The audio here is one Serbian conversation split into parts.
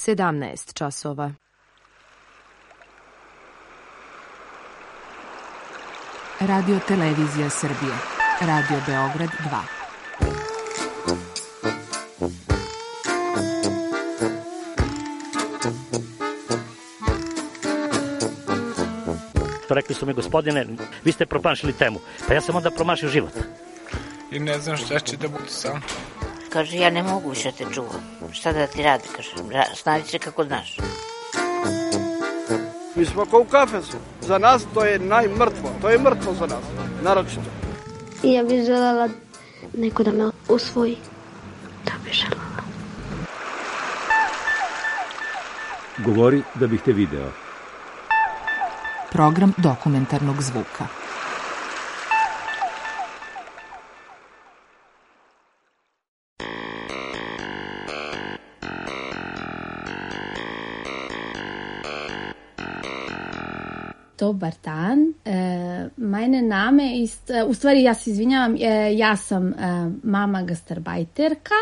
17 časova. Radio Televizija Srbije. Radio Beograd 2. Rekli su mi, gospodine, vi ste promašili temu. Pa ja sam onda promašio život. I ne znam šta će da bude sam. Kaže, ja ne mogu više te čuvam. Šta da ti radi, kaže, snađi se kako znaš. Mi smo kao u kafesu. Za nas to je najmrtvo. To je mrtvo za nas, naročito. I ja bih želela neko da me usvoji. To bih želela. Govori da bih te video. Program dokumentarnog zvuka. Dobar dan. Meine Name ist, u stvari ja se izvinjavam, ja sam mama gastarbajterka.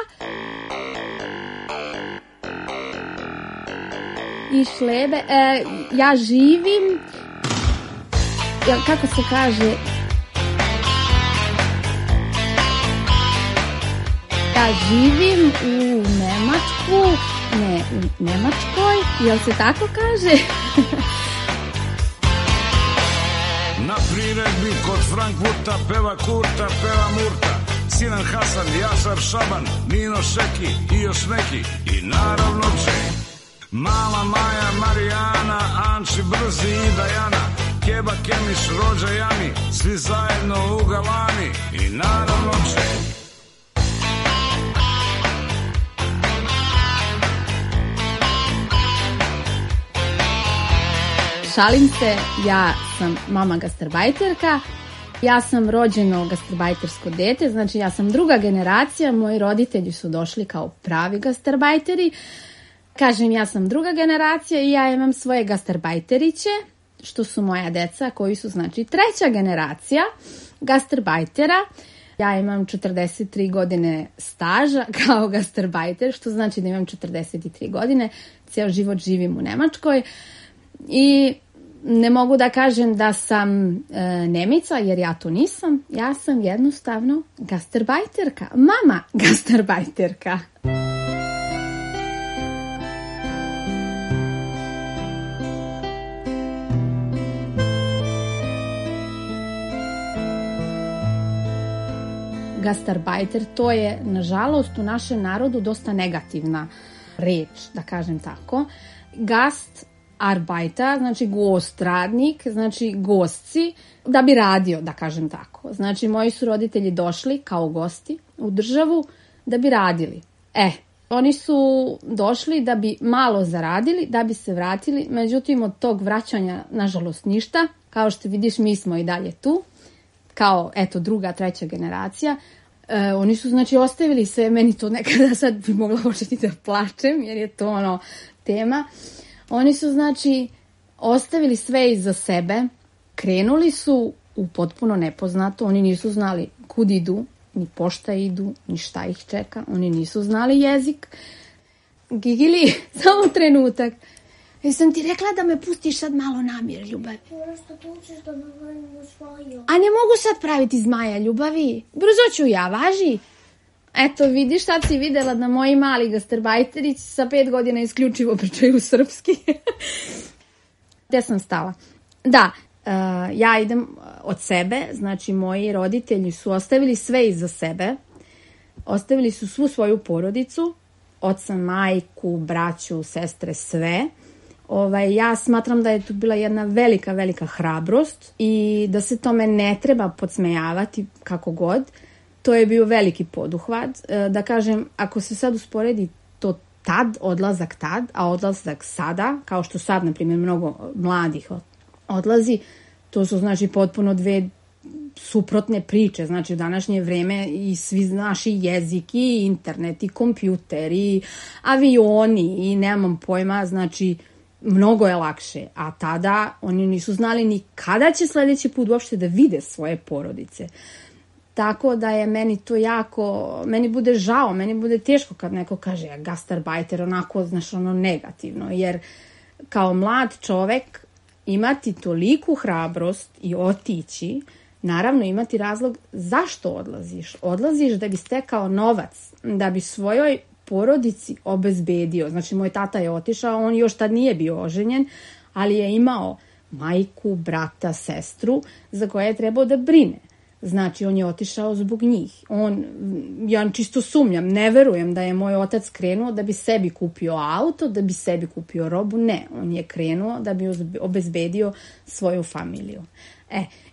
Ich lebe, ja živim, kako se kaže, ja živim u Nemačkoj, jel se tako kaže? Na priredbi kod Frankfurta peva Kurta, peva Murta, Sinan Hasan, Jasar Šaban, Nino Šeki i još neki. I naravno Čej, Mala Maja, Marijana, Anči Brzi i Dajana, Keba Kemiš, Rođa Jani, svi zajedno u Galani. I naravno Čej. Šalim se, ja sam mama gastarbajterka, ja sam rođeno gastarbajtersko dete, znači ja sam druga generacija, moji roditelji su došli kao pravi gastarbajteri. Kažem, ja sam druga generacija i ja imam svoje gastarbajteriće, što su moja deca koji su znači treća generacija gastarbajtera. Ja imam 43 godine staža kao gastarbajter, što znači da imam 43 godine, cijel život živim u Nemačkoj. I ne mogu da kažem da sam Nemica, jer ja to nisam. Ja sam jednostavno gastarbajterka, mama gastarbajterka. Gastarbajter, to je, nažalost, u našem narodu dosta negativna reč, da kažem tako. Gastarbeiter, znači gost, radnik, znači gostci, da bi radio, da kažem tako. Znači, moji su roditelji došli kao gosti u državu da bi radili. Oni su došli da bi malo zaradili, da bi se vratili, međutim, od tog vraćanja, nažalost, ništa. Kao što vidiš, mi smo i dalje tu, kao, eto, druga, treća generacija. Oni su, znači, ostavili sve, meni to nekada sad bi mogla početi da plačem, jer je to, tema. Oni su, znači, ostavili sve iza sebe, krenuli su u potpuno nepoznato, oni nisu znali kud idu, ni pošta idu, ni šta ih čeka, oni nisu znali jezik. Gigili, samo trenutak. Jesam ti rekla da me pustiš sad malo na mir, ljubavi? Što tu učeš da me pravim zmaja? A ne mogu sad praviti zmaja, ljubavi. Brzo ću ja, važi. Eto, vidiš, sad si videla da moji mali gastarbajterići sa 5 godina isključivo pričaju srpski. Gde sam stala? Da, ja idem od sebe, znači moji roditelji su ostavili sve iza sebe. Ostavili su svu svoju porodicu, oca, majku, braću, sestre, sve. Ja smatram da je tu bila jedna velika, velika hrabrost i da se tome ne treba podsmejavati kako god. To je bio veliki poduhvat. Da kažem, ako se sad usporedi to tad, odlazak tad, a odlazak sada, kao što sad, na primjer, mnogo mladih odlazi, to su, znači, potpuno dve suprotne priče. Znači, u današnje vreme i svi naši jezik, i internet, i kompjuter, i avioni, i nemam pojma, znači, mnogo je lakše. A tada oni nisu znali ni kada će sledeći put uopšte da vide svoje porodice. Tako da je meni to jako, meni bude žao, meni bude teško kad neko kaže gastarbajter, onako, znaš, ono negativno, jer kao mlad čovek imati toliku hrabrost i otići, naravno imati razlog zašto odlaziš. Odlaziš da bi stekao novac, da bi svojoj porodici obezbedio. Znači, moj tata je otišao, on još tad nije bio oženjen, ali je imao majku, brata, sestru za koje je trebao da brine. Znači, on je otišao zbog njih. Ja čisto sumnjam, ne verujem da je moj otac krenuo da bi sebi kupio auto, da bi sebi kupio robu. Ne, on je krenuo da bi obezbedio svoju familiju.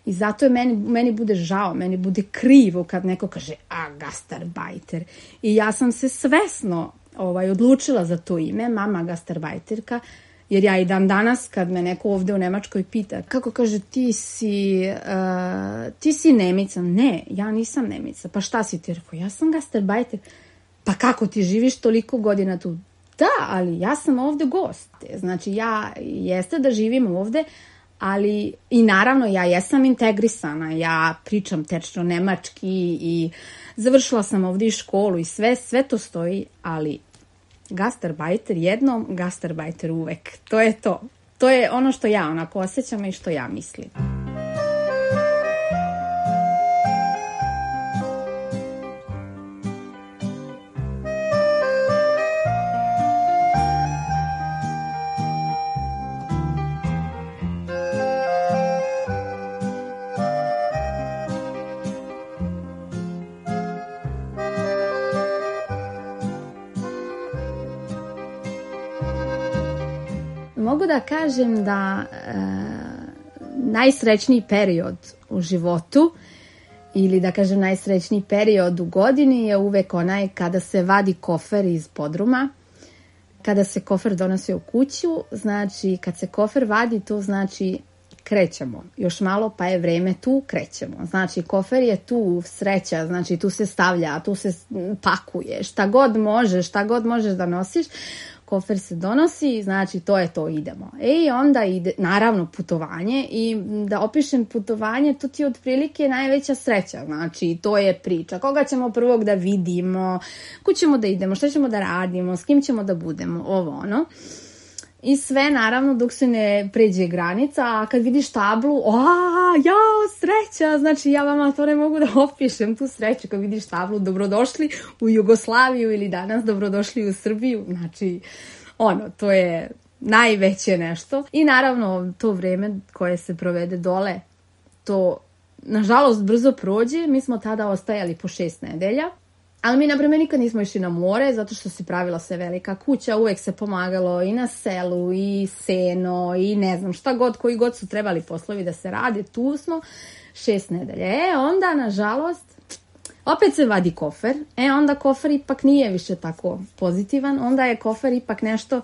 I zato je meni bude žao, meni bude krivo kad neko kaže gastarbajter. I ja sam se svesno odlučila za to ime, mama gastarbajterka, jer ja i dan danas kad me neko ovde u Nemačkoj pita, kako kaže, ti si Nemica. Ne, ja nisam Nemica. Pa šta si ti? Rekao, ja sam gastarbajter. Pa kako ti živiš toliko godina tu? Da, ali ja sam ovde gost. Znači, ja jeste da živim ovde, ali i naravno ja jesam integrisana, ja pričam tečno nemački i završila sam ovde i školu i sve to stoji, ali gastarbajter jednom, gastarbajter uvek. To je to. To je ono što ja onako osjećam i što ja mislim. Mogu da kažem da najsrećniji period u životu ili da kažem najsrećniji period u godini je uvek onaj kada se vadi kofer iz podruma, kada se kofer donosi u kuću, znači kad se kofer vadi to znači krećemo, još malo pa je vreme tu, krećemo. Znači kofer je tu, sreća, znači tu se stavlja, tu se pakuje, šta god možeš da nosiš, kofer se donosi, znači to je to, idemo. I onda ide, naravno, putovanje i da opišem putovanje, to ti je otprilike najveća sreća, znači to je priča. Koga ćemo prvog da vidimo, kud ćemo da idemo, šta ćemo da radimo, s kim ćemo da budemo, ovo ono. I sve naravno dok se ne pređe granica, a kad vidiš tablu, sreća, znači ja vama to ne mogu da opišem, tu sreću kad vidiš tablu, dobrodošli u Jugoslaviju ili danas dobrodošli u Srbiju, znači to je najveće nešto. I naravno to vreme koje se provede dole, to nažalost brzo prođe, mi smo tada ostajali po 6 nedelja. Ali mi, na primjer, nikad nismo išli na more, zato što se pravila se velika kuća, uvek se pomagalo i na selu, i seno, i ne znam šta god, koji god su trebali poslovi da se rade, tu smo 6 nedelja. Onda, nažalost, opet se vadi kofer, onda kofer ipak nije više tako pozitivan, onda je kofer ipak nešto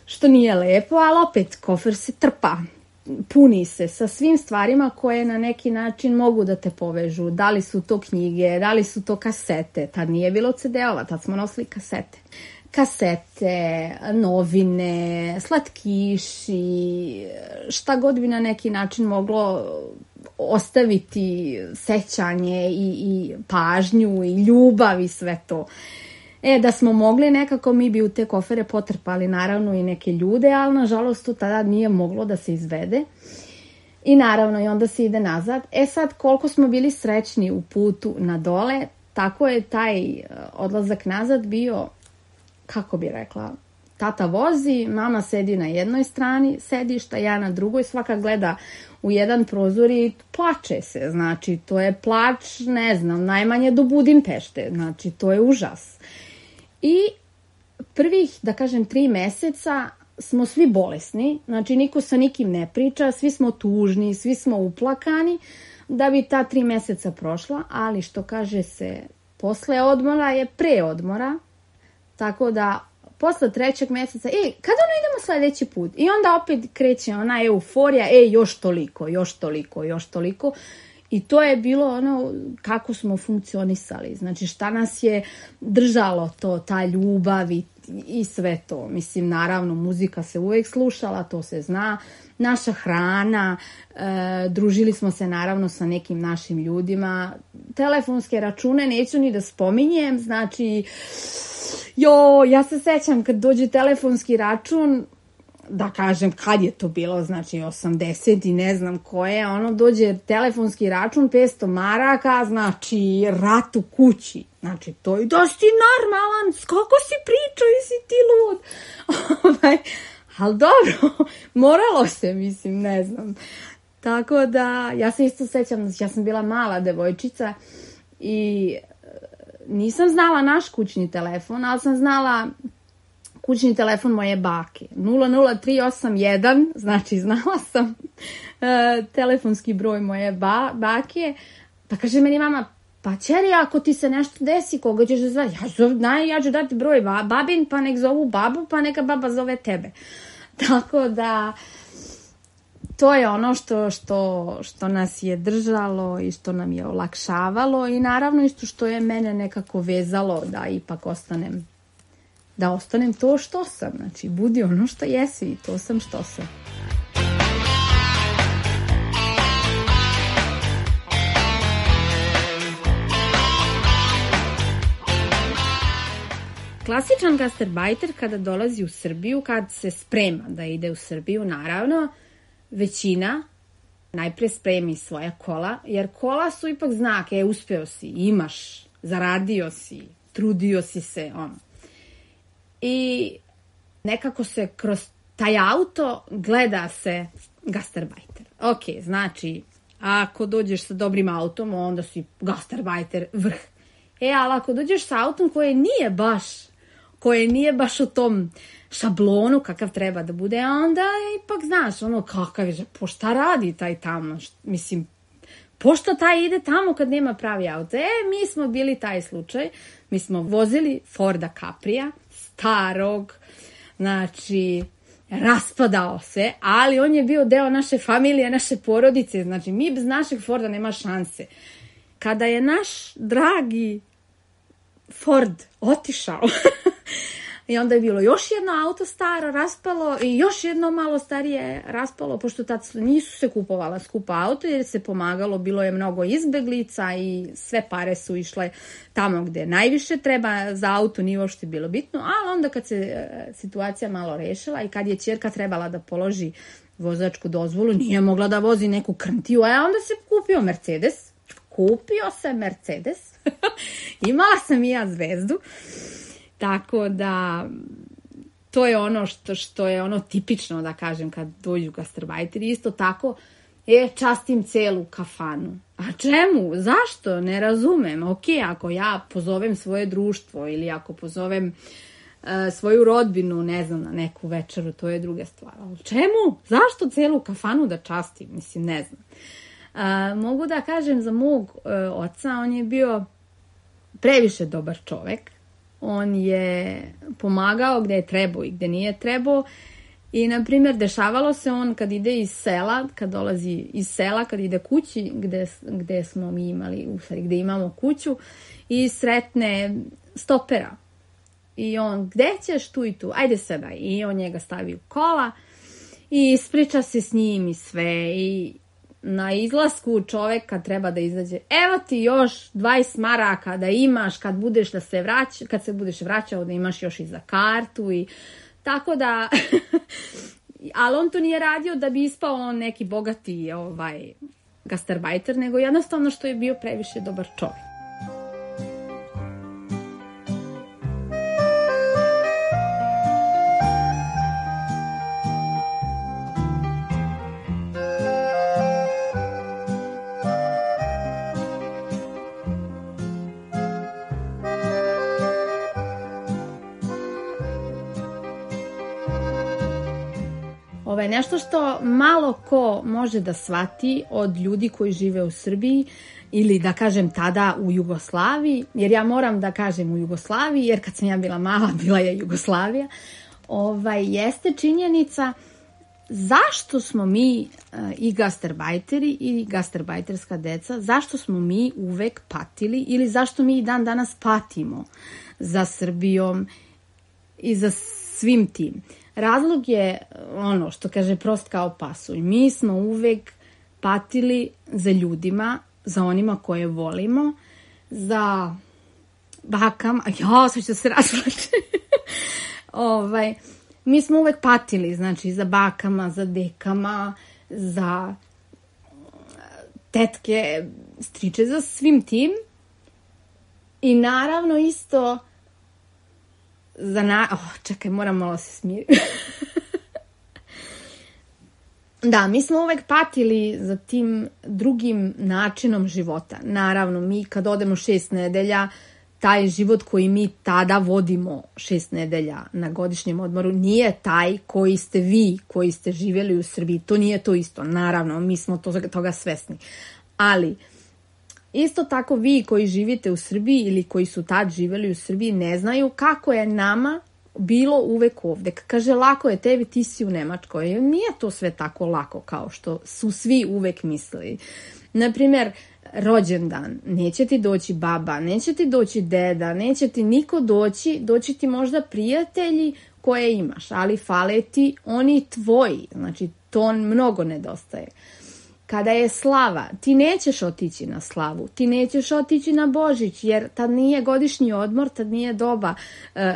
što nije lepo, ali opet kofer se trpa. Puni se sa svim stvarima koje na neki način mogu da te povežu. Da li su to knjige, da li su to kasete. Tad nije bilo CD-ova, tad smo nosili kasete. Kasete, novine, slatkiši, šta god bi na neki način moglo ostaviti sećanje i pažnju i ljubav i sve to. Da smo mogli nekako, mi bi u te kofere potrpali naravno i neke ljude, ali nažalost to tada nije moglo da se izvede. I naravno i onda se ide nazad. Sad koliko smo bili srećni u putu na dole, tako je taj odlazak nazad bio, kako bi rekla, tata vozi, mama sedi na jednoj strani sedišta, ja na drugoj, svaka gleda u jedan prozor i plače se, znači to je plač, ne znam, najmanje do Budimpešte, znači to je užas. I prvih, da kažem, 3 meseca smo svi bolesni, znači niko sa nikim ne priča, svi smo tužni, svi smo uplakani, da bi ta 3 meseca prošla, ali što kaže se, posle odmora je pre odmora, tako da posle 3. meseca, kada idemo sledeći put? I onda opet kreće ona euforija, još toliko. I to je bilo kako smo funkcionisali. Znači šta nas je držalo to, ta ljubav i sve to. Mislim, naravno, muzika se uvek slušala, to se zna. Naša hrana, družili smo se naravno sa nekim našim ljudima. Telefonske račune neću ni da spominjem, znači, ja se sećam kad dođe telefonski račun, da kažem kad je to bilo, znači 80 i ne znam koje, dođe telefonski račun 500 maraka, znači rat u kući. Znači to je da si normalan, kako si pričao i si ti lud. Ali dobro, moralo se, mislim, ne znam. Tako da, ja se isto sećam, ja sam bila mala devojčica i nisam znala naš kućni telefon, ali sam znala kućni telefon moje bake. 00381, znači znala sam telefonski broj moje bake. Pa kaže meni mama, pa čeri, ako ti se nešto desi, koga ćeš da zvati? Ja ću dati broj babin, pa nek zovu babu, pa neka baba zove tebe. Tako da, to je ono što nas je držalo i što nam je olakšavalo i naravno isto što je mene nekako vezalo da ipak ostanem to što sam. Znači, budi ono što jesi i to sam što sam. Klasičan gastarbajter kada dolazi u Srbiju, kad se sprema da ide u Srbiju, naravno, većina najpre spremi svoja kola, jer kola su ipak znak, uspeo si, imaš, zaradio si, trudio si se, I nekako se kroz taj auto gleda se gastarbajter. Ok, znači, ako dođeš sa dobrim autom, onda si gastarbajter vrh. Ali ako dođeš sa autom koje nije baš u tom šablonu kakav treba da bude, onda ipak znaš, kakav je, pošta radi taj tamo, mislim, pošto taj ide tamo kad nema pravi auto. Mi smo bili taj slučaj, mi smo vozili Forda Caprija, starog, znači, raspadao se, ali on je bio deo naše familije, naše porodice, znači, mi bez našeg Forda nema šanse. Kada je naš dragi Ford otišao, i onda je bilo još jedno auto staro raspalo i još jedno malo starije raspalo, pošto tad nisu se kupovala skupa auto jer se pomagalo, bilo je mnogo izbeglica i sve pare su išle tamo gde najviše treba, za auto nije uopšte bilo bitno, ali onda kad se situacija malo rešila i kad je ćerka trebala da položi vozačku dozvolu, nije mogla da vozi neku krntiju, onda se kupio Mercedes. Imala sam i ja zvezdu. Tako da, to je ono što je ono tipično, da kažem, kad dođu gastarbajteri. Isto tako, častim celu kafanu. A čemu? Zašto? Ne razumem. Ok, ako ja pozovem svoje društvo ili ako pozovem svoju rodbinu, ne znam, na neku večeru, to je druga stvar. Ali čemu? Zašto celu kafanu da častim? Mislim, ne znam. Mogu da kažem za mog oca, on je bio previše dobar čovek. On je pomagao gde je trebao i gde nije trebao. I, na primjer, dešavalo se on kad ide iz sela, kad dolazi iz sela, kad ide kući, gde smo mi imali, u stvari, gde imamo kuću, i sretne stopera. I on, gde ćeš, tu i tu, ajde sada. I on njega stavi u kola i ispriča se s njim i sve. I na izlasku čoveka treba da izađe, evo ti još 20 maraka da imaš kad se budeš vraćao, da imaš još i za kartu i tako da, ali on to nije radio da bi ispao on neki bogati gastarbajter, nego jednostavno što je bio previše dobar čovek. Nešto što malo ko može da shvati od ljudi koji žive u Srbiji ili da kažem tada u Jugoslaviji, jer ja moram da kažem u Jugoslaviji, jer kad sam ja bila mala, bila je Jugoslavija, jeste činjenica zašto smo mi i gastarbajteri i gastarbajterska deca, zašto smo mi uvek patili ili zašto mi i dan danas patimo za Srbijom i za svim tim. Razlog je ono što kaže prost kao pasulj. Mi smo uvek patili za ljudima, za onima koje volimo, za bakama, sad ću se razvlačiti. Mi smo uvek patili, znači, za bakama, za dekama, za tetke, striče, za svim tim. I naravno isto za čekaj, moram malo se smiriti. Da, mi smo uvek patili za tim drugim načinom života. Naravno, mi kad odemo 6 nedelja, taj život koji mi tada vodimo 6 nedelja na godišnjem odmoru nije taj koji ste vi, koji ste živjeli u Srbiji. To nije to isto. Naravno, mi smo toga svesni. Ali, isto tako vi koji živite u Srbiji ili koji su tad živjeli u Srbiji ne znaju kako je nama bilo uvek ovde. Kaže, lako je tebi, ti si u Nemačkoj. Nije to sve tako lako kao što su svi uvek mislili. Naprimjer, rođendan, neće ti doći baba, neće ti doći deda, neće ti niko doći ti možda prijatelji koje imaš, ali fale ti oni tvoji, znači to mnogo nedostaje. Kada je slava, ti nećeš otići na slavu, ti nećeš otići na Božić, jer tad nije godišnji odmor, tad nije doba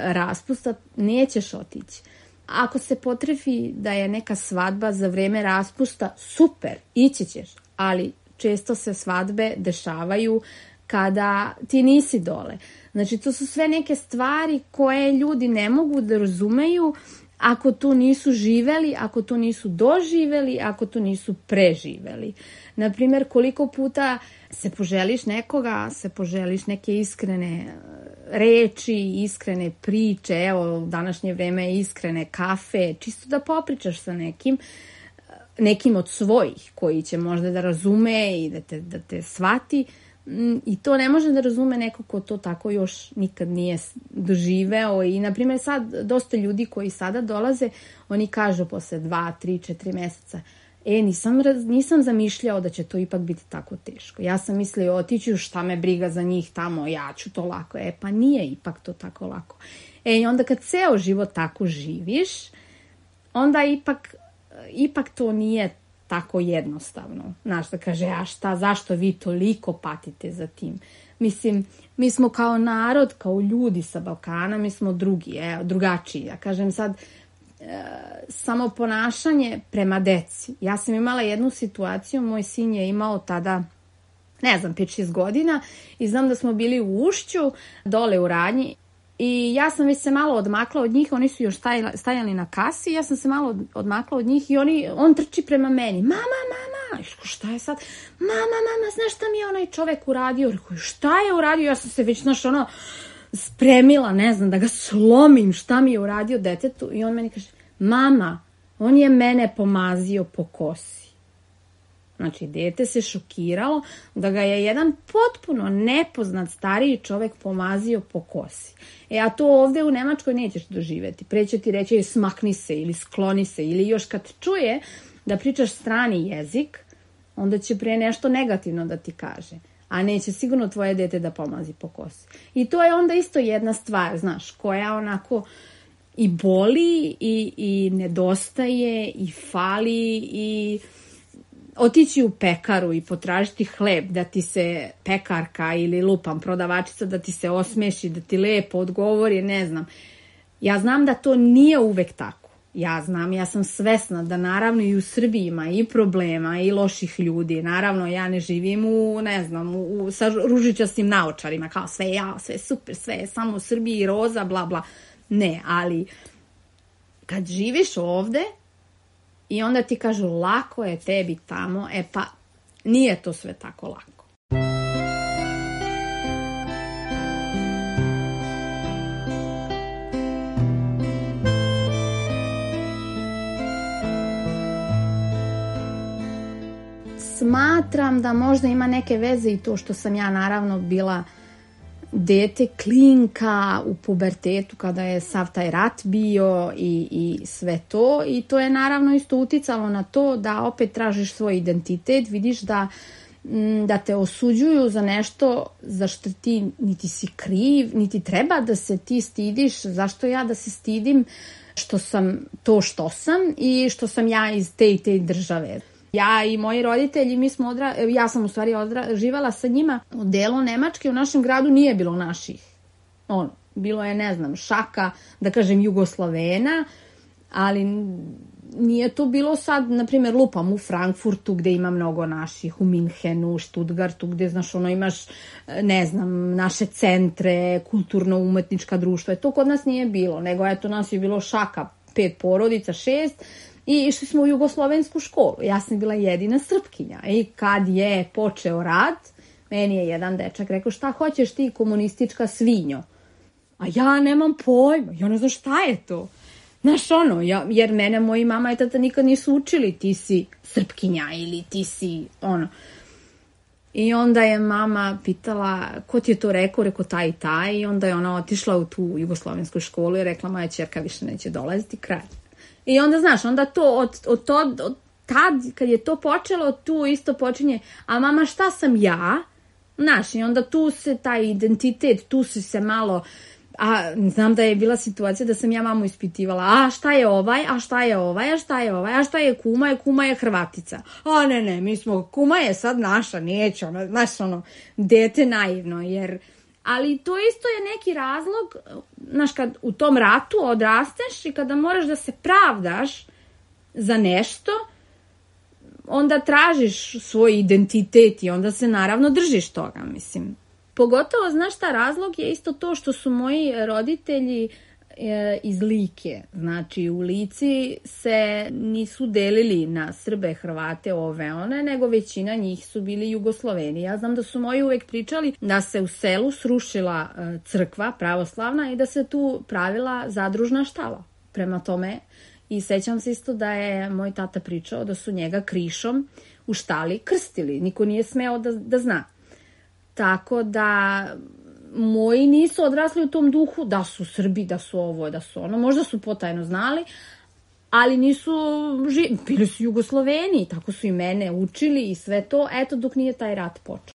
raspusta, nećeš otići. Ako se potrefi da je neka svadba za vreme raspusta, super, ići ćeš, ali često se svadbe dešavaju kada ti nisi dole. Znači, to su sve neke stvari koje ljudi ne mogu da razumeju ako tu nisu živeli, ako tu nisu doživeli, ako tu nisu preživeli. Naprimjer, koliko puta se poželiš nekoga, se poželiš neke iskrene reči, iskrene priče, evo, u današnje vreme iskrene kafe, čisto da popričaš sa nekim od svojih koji će možda da razume i da te shvati. I to ne može da razume neko ko to tako još nikad nije doživeo. I, na primjer, sad dosta ljudi koji sada dolaze, oni kažu posle 2, 3, 4 meseca, nisam zamišljao da će to ipak biti tako teško. Ja sam mislio, otiću, šta me briga za njih tamo, ja ću to lako. Pa nije ipak to tako lako. I onda kad ceo život tako živiš, onda ipak to nije tako jednostavno. Znaš, da kaže, zašto vi toliko patite za tim? Mislim, mi smo kao narod, kao ljudi sa Balkana, mi smo drugačiji. Ja kažem sad, samo ponašanje prema deci. Ja sam imala jednu situaciju, moj sin je imao tada, 5-6 godina i znam da smo bili u Ušću, dole u Radnji, i ja sam već se malo odmakla od njih, oni su još stajali na kasi, ja sam se malo odmakla od njih i on trči prema meni. Mama, šta je sad? Mama, znaš šta mi je onaj čovek uradio? Rekao, šta je uradio? Ja sam se već, spremila, ne znam, da ga slomim, šta mi je uradio detetu. I on meni kaže, mama, on je mene pomazio po kosi. Znači, dete se šokiralo da ga je jedan potpuno nepoznat stariji čovek pomazio po kosi. A to ovde u Nemačkoj nećeš doživeti. Pre će ti reći smakni se ili skloni se, ili još kad čuje da pričaš strani jezik, onda će pre nešto negativno da ti kaže. A neće sigurno tvoje dete da pomazi po kosi. I to je onda isto jedna stvar, znaš, koja onako i boli i nedostaje i fali i otići u pekaru i potražiti hleb, da ti se pekarka ili prodavačica da ti se osmeši, da ti lepo odgovori, ne znam. Ja znam da to nije uvek tako. Ja sam svesna da naravno i u Srbiji ima i problema i loših ljudi. Naravno, ja ne živim sa ružičastim naočarima, kao sve super, sve je samo u Srbiji, roza, bla, bla. Ne, ali kad živiš ovde, i onda ti kažu, lako je tebi tamo, pa nije to sve tako lako. Smatram da možda ima neke veze i to što sam ja naravno bila dete, klinka u pubertetu kada je sav taj rat bio i sve to, i to je naravno isto uticalo na to da opet tražiš svoj identitet, vidiš da da te osuđuju za nešto za što ti niti si kriv, niti treba da se ti stidiš. Zašto ja da se stidim što sam to što sam i što sam ja iz te i te države. Ja i moji roditelji, ja sam u stvari živala sa njima u delu Nemačke, u našem gradu nije bilo naših. Bilo je, ne znam, šaka, da kažem, Jugoslovena, ali nije to bilo sad, na primjer, lupam u Frankfurtu gde ima mnogo naših, u Minhenu, u Stuttgartu, gde, znaš, imaš, ne znam, naše centre, kulturno-umetnička društva. To kod nas nije bilo, nego eto, nas je bilo šaka, 5 porodica, 6, i išli smo u jugoslovensku školu. Ja sam bila jedina Srpkinja. I kad je počeo rat, meni je jedan dečak rekao, šta hoćeš ti, komunistička svinjo? A ja nemam pojma, ja ne znam šta je to. Znaš, jer mene moji mama i tata nikad nisu učili, ti si Srpkinja ili ti si I onda je mama pitala, ko ti je to rekao, taj i taj, i onda je ona otišla u tu jugoslovensku školu i rekla, moja ćerka više neće dolaziti, kraj. I onda, znaš, onda to, od tad, kad je to počelo, tu isto počinje, a mama, šta sam ja? Znaš, i onda tu se taj identitet, tu si se malo, a znam da je bila situacija da sam ja mamu ispitivala, a šta je ovaj, a šta je ovaj, a šta je ovaj, a šta je kuma je Hrvatica. A ne, mi smo, kuma je sad naša, neće, znaš, dete naivno, jer... Ali to isto je neki razlog, znaš, kad u tom ratu odrasteš i kada moraš da se pravdaš za nešto, onda tražiš svoj identitet i onda se naravno držiš toga, mislim. Pogotovo, znaš šta, razlog je isto to što su moji roditelji iz Like. Znači, u Lici se nisu delili na Srbe, Hrvate, one, nego većina njih su bili Jugosloveni. Ja znam da su moji uvek pričali da se u selu srušila crkva pravoslavna i da se tu pravila zadružna štala. Prema tome, i sećam se isto da je moj tata pričao da su njega krišom u štali krstili. Niko nije smeo da zna. Tako da moji nisu odrasli u tom duhu da su Srbi, da su ovo, da su ono. Možda su potajno znali, ali nisu bili su Jugosloveni, tako su i mene učili i sve to, eto, dok nije taj rat počeo.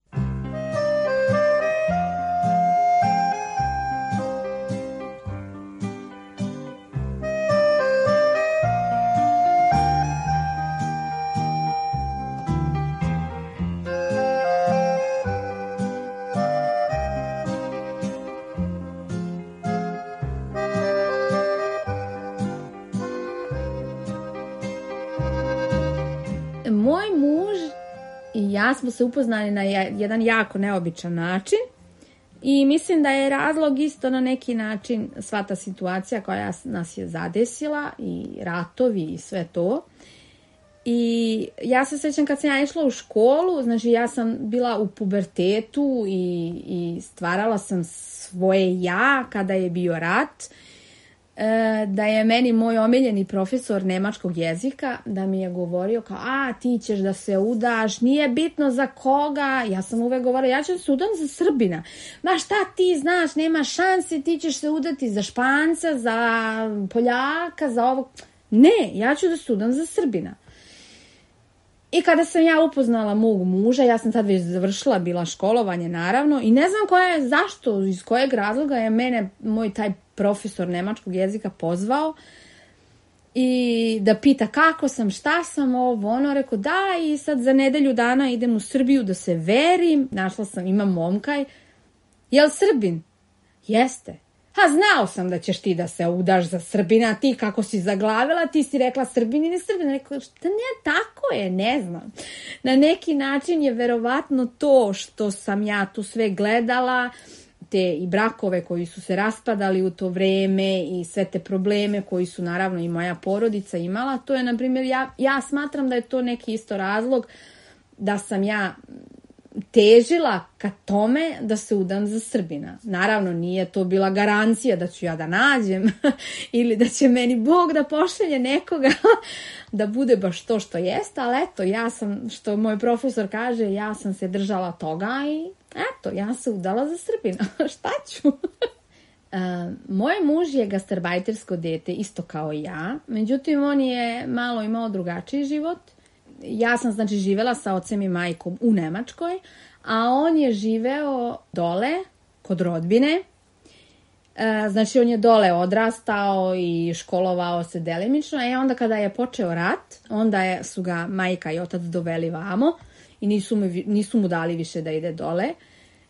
Moj muž i ja smo se upoznali na jedan jako neobičan način i mislim da je razlog isto na neki način sva ta situacija koja nas je zadesila i ratovi i sve to. I ja se sećam kad sam ja išla u školu, znači ja sam bila u pubertetu i stvarala sam svoje ja kada je bio rat, da je meni moj omiljeni profesor nemačkog jezika, da mi je govorio kao, ti ćeš da se udaš, nije bitno za koga, ja sam uvek govorila, ja ću da se udam za Srbina, ma šta ti znaš, nema šanse, ti ćeš se udati za Španca, za Poljaka, za ovog, ne, ja ću da se udam za Srbina. I kada sam ja upoznala mog muža, ja sam tad već završila bila školovanje naravno i ne znam zašto, iz kojeg razloga je mene moj taj profesor nemačkog jezika pozvao i da pita kako sam, šta sam, rekao da i sad za nedelju dana idem u Srbiju da se verim, našla sam, imam momka, jel Srbin? Jeste. Znao sam da ćeš ti da se udaš za Srbina, ti kako si zaglavila, ti si rekla Srbin i ne Srbin. Rekla, šta ne, tako je, ne znam. Na neki način je verovatno to što sam ja tu sve gledala, te i brakove koji su se raspadali u to vreme i sve te probleme koji su naravno i moja porodica imala. To je, na primjer, ja smatram da je to neki isto razlog da sam ja težila ka tome da se udam za Srbina. Naravno, nije to bila garancija da ću ja da nađem ili da će meni Bog da pošalje nekoga da bude baš to što jeste, ali eto, ja sam, što moj profesor kaže, ja sam se držala toga i eto, ja se udala za Srbina. Šta ću? Moj muž je gastarbajtersko dete, isto kao ja. Međutim, on je malo imao drugačiji život. ja sam znači živela sa ocem i majkom u Nemačkoj, a on je živeo dole kod rodbine. Znači on je dole odrastao i školovao se delimično, i onda kada je počeo rat, onda su ga majka i otac doveli vamo i nisu mu dali više da ide dole.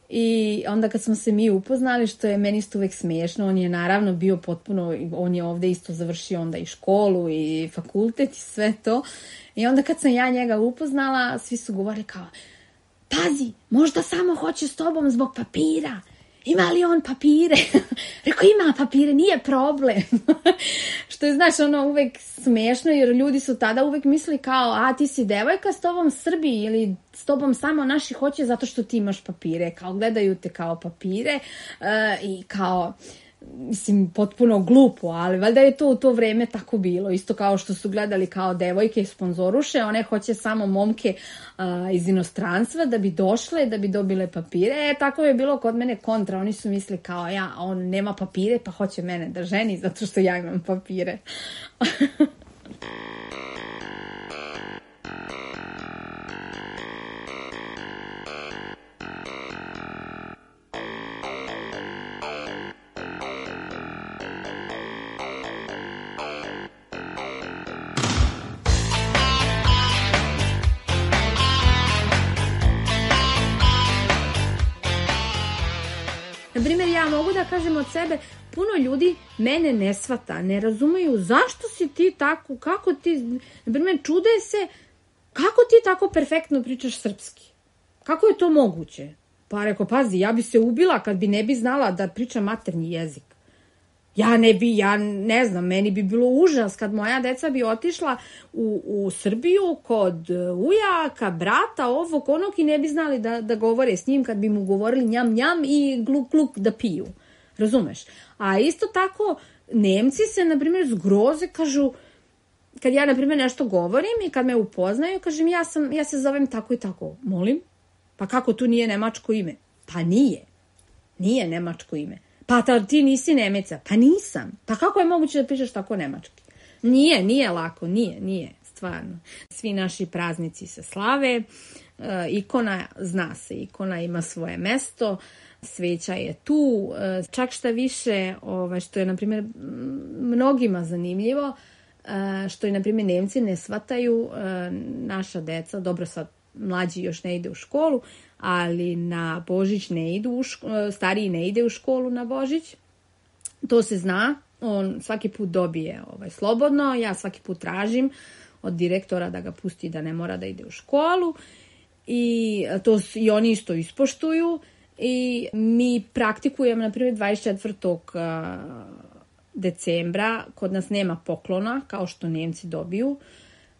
I onda kad smo se mi upoznali, što je meni isto uvek smiješno, on je naravno bio potpuno, on je ovde isto završio onda i školu i fakultet i sve to. I onda kad sam ja njega upoznala, svi su govorili kao, pazi, možda samo hoće s tobom zbog papira. Ima li on papire? Rekao, ima papire, nije problem. Što je, znaš, ono uvek smešno, jer ljudi su tada uvek mislili kao, a ti si devojka, s tobom Srbi ili s tobom samo naši hoće zato što ti imaš papire. Kao gledaju te kao papire i kao, mislim, potpuno glupo, ali valjda je to u to vreme tako bilo. Isto kao što su gledali kao devojke sponzoruše, one hoće samo momke iz inostranstva da bi došle, da bi dobile papire. Tako je bilo kod mene kontra. Oni su mislili kao, on nema papire pa hoće mene da ženi zato što ja imam papire. Naprimjer, ja mogu da kažem od sebe, puno ljudi mene ne shvata, ne razumeju zašto si ti tako, kako ti, naprimjer, čude se, kako ti tako perfektno pričaš srpski? Kako je to moguće? Pa rekao, pazi, ja bi se ubila kad bi ne bi znala da pričam maternji jezik. Ja ne znam, meni bi bilo užas kad moja deca bi otišla u Srbiju kod ujaka, brata, ovog, onog i ne bi znali da govore s njim kad bi mu govorili njam, njam i gluk, gluk da piju. Razumeš? A isto tako, Nemci se, na primjer, zgroze, kažu, kad ja, na primjer, nešto govorim i kad me upoznaju, kažem, ja se zovem tako i tako. Molim? Pa kako tu nije nemačko ime? Pa nije. Nije nemačko ime. Pa ti nisi Nemeca. Pa nisam. Pa kako je moguće da pričaš tako nemački? Nije lako, nije, stvarno. Svi naši praznici se slave, ikona zna se, ikona ima svoje mesto, sveća je tu, čak šta više, što je, na primjer, mnogima zanimljivo, što je, na primjer, Nemci ne shvataju, naša deca, dobro sad, mlađi još ne ide u školu, ali na Božić ne idu, stariji ne ide u školu na Božić. To se zna, on svaki put dobije slobodno, ja svaki put tražim od direktora da ga pusti da ne mora da ide u školu i oni isto ispoštuju i mi praktikujemo, na primjer, 24. decembra, kod nas nema poklona, kao što Nemci dobiju,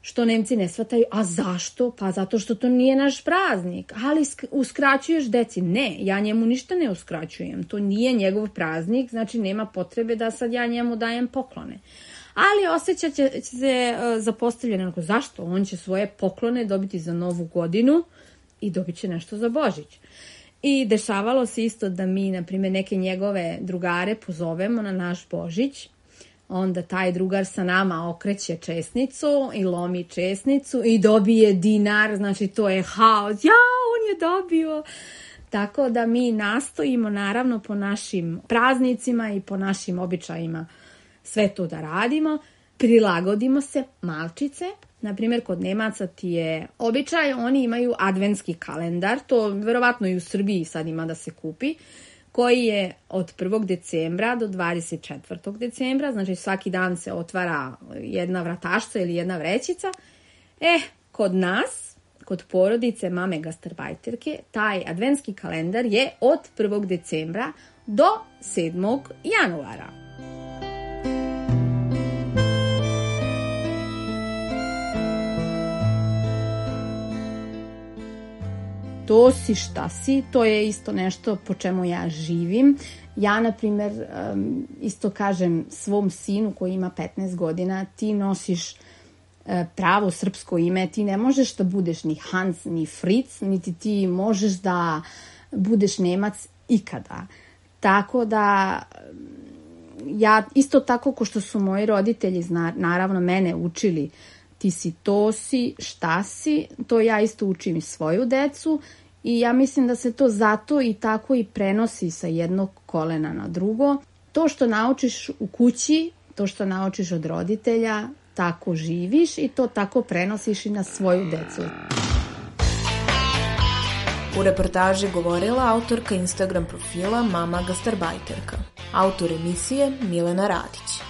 što Nemci ne shvataju. A zašto? Pa zato što to nije naš praznik. Ali uskraćuješ deci. Ne, ja njemu ništa ne uskraćujem. To nije njegov praznik, znači nema potrebe da sad ja njemu dajem poklone. Ali osjećat će se zapostavljeno. Zašto? On će svoje poklone dobiti za Novu godinu i dobit će nešto za Božić. I dešavalo se isto da mi, na primjer, neke njegove drugare pozovemo na naš Božić. Onda taj drugar sa nama okreće česnicu i lomi česnicu i dobije dinar, znači to je haos. On je dobio. Tako da mi nastojimo, naravno, po našim praznicima i po našim običajima sve to da radimo. Prilagodimo se malčice. Naprimjer, kod Nemaca ti je običaj, oni imaju adventski kalendar, to verovatno i u Srbiji sad ima da se kupi, koji je od 1. decembra do 24. decembra, znači svaki dan se otvara jedna vratašca ili jedna vrećica. Kod nas, kod porodice mame gastarbajterke, taj adventski kalendar je od 1. decembra do 7. januara. To si šta si, to je isto nešto po čemu ja živim. Ja, na primjer, isto kažem svom sinu koji ima 15 godina, ti nosiš pravo srpsko ime, ti ne možeš da budeš ni Hans, ni Fritz, niti ti možeš da budeš Nemac ikada. Tako da, ja isto tako ko što su moji roditelji, naravno, mene učili ti si to si, šta si, to ja isto učim i svoju decu i ja mislim da se to zato i tako i prenosi sa jednog kolena na drugo. To što naučiš u kući, to što naučiš od roditelja, tako živiš i to tako prenosiš i na svoju decu. U reportaži govorila autorka Instagram profila Mama Gastarbajterka. Autor emisije Milena Radić.